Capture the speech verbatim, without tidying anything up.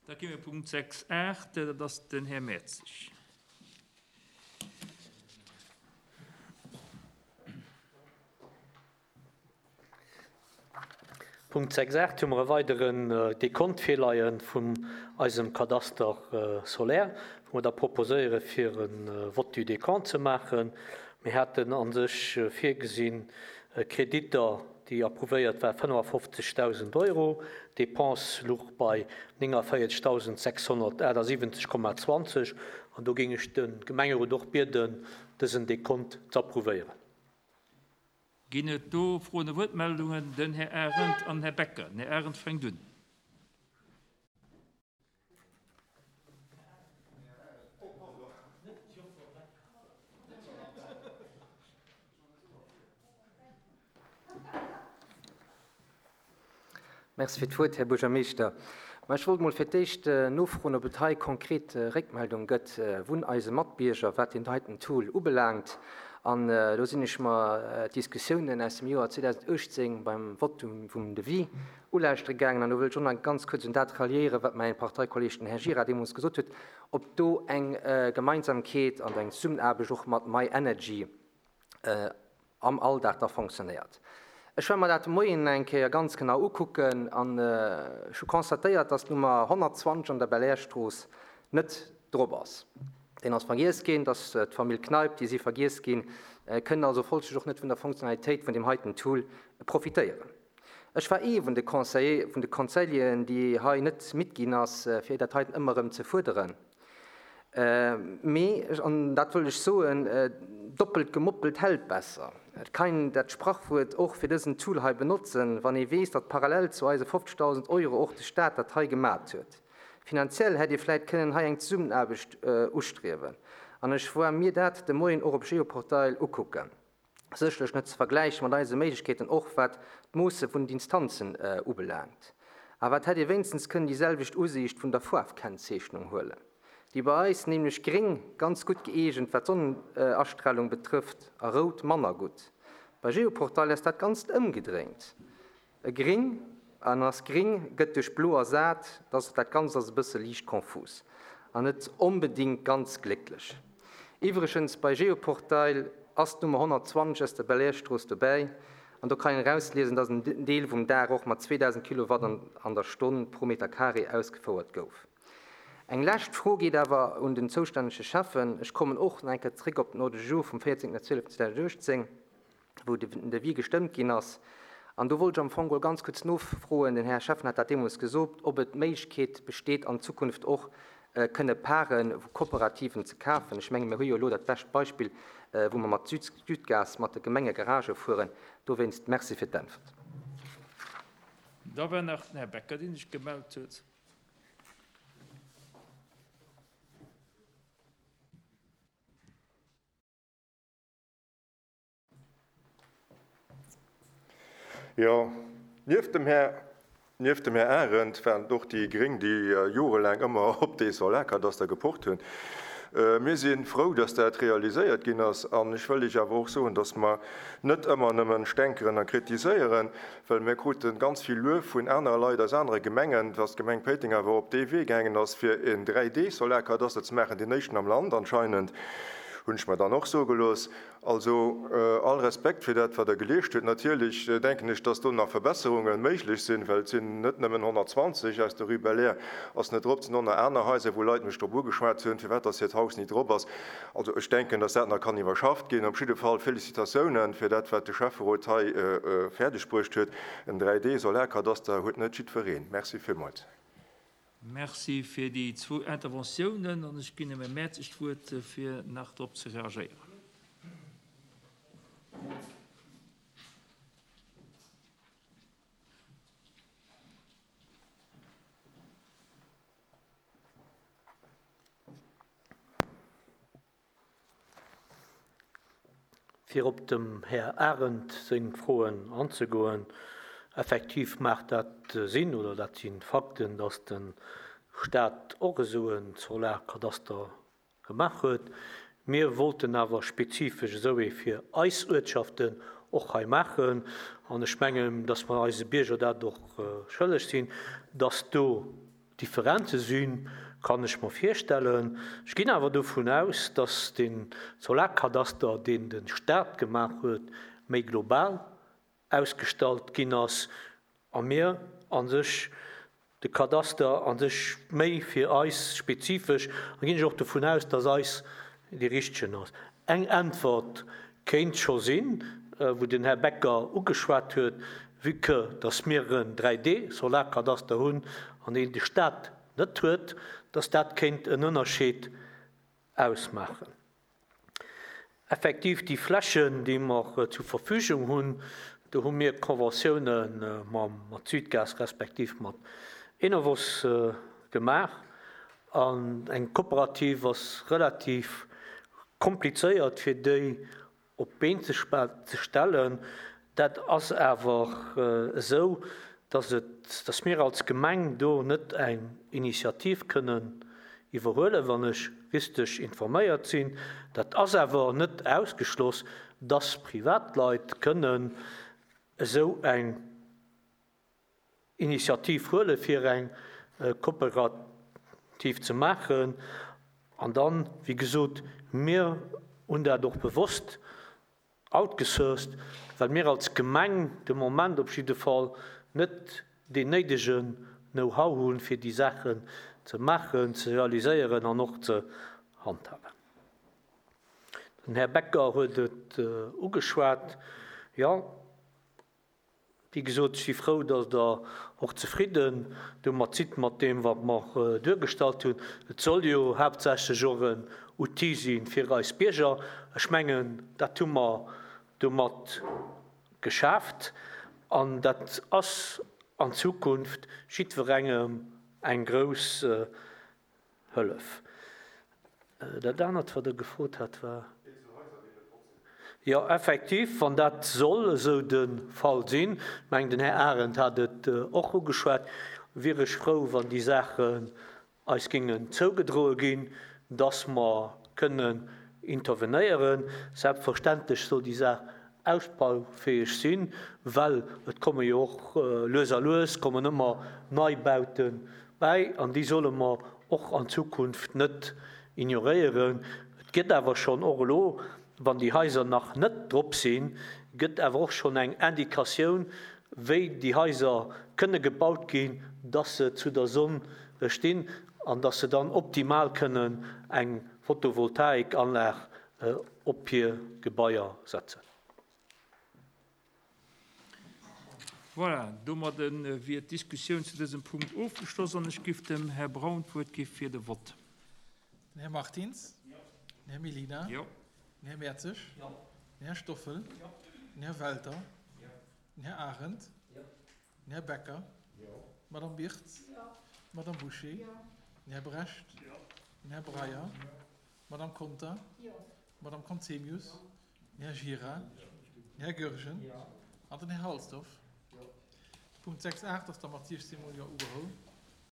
Da gi mir Punkt sechs aacht, dat ass den Här Mertzig. Punkt sechs aacht hu mer e weideren Dekont virleie vun eisem Kadaster solaire, wou mer da proposéiere fir e Vote du décompte ze maachen. Mir haten a sech virgesinn Kreditter, déi approuvéiert war, fënnefafofzegdausend Euro, Dépense louch bei néngavierzechtausendsechshonnertaachtsiwwenzeg Komma zwanzeg an do géing ech de Gemengerot och bieden, dësen Dekont ze approuvéieren. Ginn et do Froen a Wuertmeldungen? Den Här Arendt an Här Becker. Den Här Arendt fänkt un. Merci fir d'Wuert, Här Buergermeeschter. Ma ech wollt mol fir d'éischt nofroen, ob et hei konkret Réckmeldung gëtt vun eise Matbierger, wat den heiten Tool ubelaangt. An do sinn ech mer d'Diskussiounen aus dem Joer zweedausenduechtzéng beim Votum vum Devis ulauschtere gaangen. An do wëll ech och nach ganz kuerz un dat ralliéieren, wat mäin Parteikolleg, den Här Gira, deemools gesot huet, ob do eng Gemeinsamkeet an eng Zesummenaarbecht och mat MyEnergy am Alldag da fonctionnéiert. Ech war mer dat de Moien eng Kéier ganz genau ukucken an ech hu constatéiert, dass d'Nummer honnertzwanzeg an der Belair-Strooss net drop ass. Deen ass vergiess ginn, dass d'Famill Kneip, déi si vergiess ginn, kënnen also folglech och net vun der Funktionalitéit vun dem heiten Tool profitéieren. Ech war ee vun de Conseiller, vun de Conseilleren, déi hei net midd ginn ass, fir dat heiten ëmmer erëm ze fuerderen. Mee, an dat wëll ech soen, doppelt gemoppelt hält besser. Et kann dat Sprachwuert och fir dësen Tool hei benotzen, wann ee weess, datt parallel zu eise fofzegdausend Euro och de Staat dat hei gemat huet. Finanziell hätt ee vläicht kënnen hei eng Zesummenaarbecht ustriewen. An ech war mir dat de Moien och op Geoportail ukucken. Sécherlech net ze vergläiche mat eise Méiglechkeeten, och wat d'Moosse vun den Instanzen ubelaangt. Awer et hätt ee wéinstens kënnen déi selwecht Usiicht vun der Faarfkennzeechnung huelen. Déi bei eis nämlech gréng ganz gutt gëeegent, wat d'Sonnenastralung betrëfft, a rout manner gutt. Bei Geoportail ass dat Ganzt ëmgedréint. E gréng an ass gréng gëtt duerch blo ersat, dass dat Ganzt ass e bësse liicht konfus an net onbedéngt ganz glécklech. Iwwregens, bei Geoportail ass d'Nummer honnertzwanzeg aus der Belair-Strooss dobäi an do kann een erausliesen, dass en Deel vum Daach och mat zweedausend Kilowatt an der Stonn pro Meter carré ausgefouert gouf. Eng lescht Fro geet awer un den zoustännege Cheffen. Ech kommen och nach eng Kéier zréck op den Ordre du jour vum véierzéngten zwieleften zweedausenduechtzéng, wou den Devis gestëmmt ginn ass. An do wollt ech am Fong geholl ganz kuerz nofroen, den Här Cheffen hat dat deemools gesot, ob et d'Méiglechkeet besteet, an Zukunft och kënne Paren vu Kooperativen ze kafen. Ech menge mir hu jo elo dat bescht Beispill, wou mer mat Südgas mat de Gemengegaragë fueren. Dowéinst Merci fir d'Äntwert. Da war nach den Här Becker, deen sech gemellt huet. Jo, nieft dem Här, nieft dem Här Arendt waren et och déi Gréng, déi jorelaang ëmmer op dee Solarkadaster gepocht hunn. Mir si frou, dass dat realiséiert ginn ass. An ech wëll Iech awer och soen, dass mer net ëmmer nëmmen stänkeren a kritiséieren, well mir krute ganz vill Luef vun anere Leit aus anere Gemengen, dass d'Gemeng Péiteng awer op dee Wee gaangen ass, fir en dräi D-Solarkadaster ze maachen, deen éischten am Land anscheinend, hunn ech mer dann och soe gelooss. Also all Respekt fir dat, wat Der geleescht hutt. Natierlech denken ech, dass do nach Verbesserunge méiglech sinn, well et sinn net nëmmen honnertzwanzeg aus der Rue Belair ass net drop, et sinn och nach aner Haiser, wou Leit mech drop ugeschwat hunn, firwat dass hiert Haus ni drop ass. Also ech denken, dass dat nach kann iwwerschafft ginn. Op jidde Fall Félicitatiounen fir dat, wat de Schäfferot hei fäerdeg bruecht huet. En dräi D-Solarkadaster huet net jiddwereen. Merci villmools. Merci fir déi zwou Interventiounen an ech ginn dem Här Mertzig d'Wuert, fir nach drop ze reagéieren. Fir op dem Här Arendt seng Froen anzegoen, effektiv macht dat Sinn oder dat sinn Fakten, dass den Staat och esou en Solarkadaster gemaach huet. Mir wollten awer spezifesch esou ee fir eis Uertschaften och hei maachen. An ech mengen, dass mer eise Bierger dat och schëlleg sinn, dass do Differenze sinn, kann ech mer virstellen. Ech ginn awer dovun aus, dass den Solarkadaster, deen de Staat gemaach huet, méi global ausgestallt ginn ass a mir a sech de Kadaster a sech méi fir eis spezifesch, a ginn ech och dovun aus, dass eis dee richtegen ass. Eng Äntwert kéint scho sinn, wou den Här Becker ugeschwat huet, vue que dass mir en dräi D Solarkadaster hunn an deen de Staat net huet, dass dat kéint en Ënnerscheed ausmaachen. Effektiv, déi Flächen, déi mer zur Verfügung hunn, do hu mir Conventiounen mat Südgas respektiv mat Enovos gemaach. An eng Kooperativ ass relativ komplizéiert, fir déi op d'Been ze stellen. Dat ass awer esou, dass et, dass mir als Gemeng do net eng Initiativ kënnen iwwerhuelen, wann ech richteg informéiert sinn. Dat ass awer net ausgeschloss, dass Privatleit kënnen esou eng Initiativ huelen, fir eng Kooperativ ze maachen. An dann, wéi gesot, mir hunn dat och bewosst outgesourced, well mir als Gemeng de Moment op jidde Fall net deen néidegen Know-how hunn, fir déi Saachen ze maachen, ze realiséieren an och ze handhaben. Den Här Becker huet et ugeschwat. Jo, wéi gesot, ech si frou, dass Der och zefridden domat sidd, mat deem, wat mer duergestallt hunn. Et soll jo haaptsächlech och en Outil si fir eis Bierger. Ech mengen, dat hu mer domat geschaaft. An dat ass an Zukunft jiddwerengem eng grouss Hëllef. Dat anert, wat Der gefrot hat, war. Jo, effektiv, wann dat soll esou de Fall sinn, ech mengen, den Här Arendt hat et och ugeschwat, wier ech frou, wann déi Saachen eis géingen zougedroe ginn, dass mer kënnen intervenéieren. Selbstverständlech soll déi Saach ausbaufäeg sinn, well et komme jo och lues a lues kommen ëmmer Neibaute bäi an déi solle mer och an Zukunft net ignoréieren. Et gëtt awer schonn och elo, wann déi Haiser nach net drop sinn, gëtt awer och schonn eng Indikatioun, wéi déi Haiser kënne gebaut ginn, dass se zu der Sonn stinn an dass se dann optimal kënnen eng Photovoltaikanlag op hir Gebaier setzen. Voilà, domadde wier d'Diskussioun zu dësem Punkt ofgeschloss an ech géif dem Här Braun d'Wuert gi fir de Vott. Den Här Martins? Den Här Mellina? Jo. Den Här Mertzig? Den Här Stoffel? Den Här Welter? Den Här Arendt? Den Här Becker? D'Madame Birtz? D'Madame Bouché? Den Här Brecht? Den Här Breyer? D'Madame Conter? D'Madame Conzemius? Den Här Gira? Den Här Goergen? An den Här Halsdorf? Punkt sechs acht ass da mat siechzehn mol Jo ugeholl.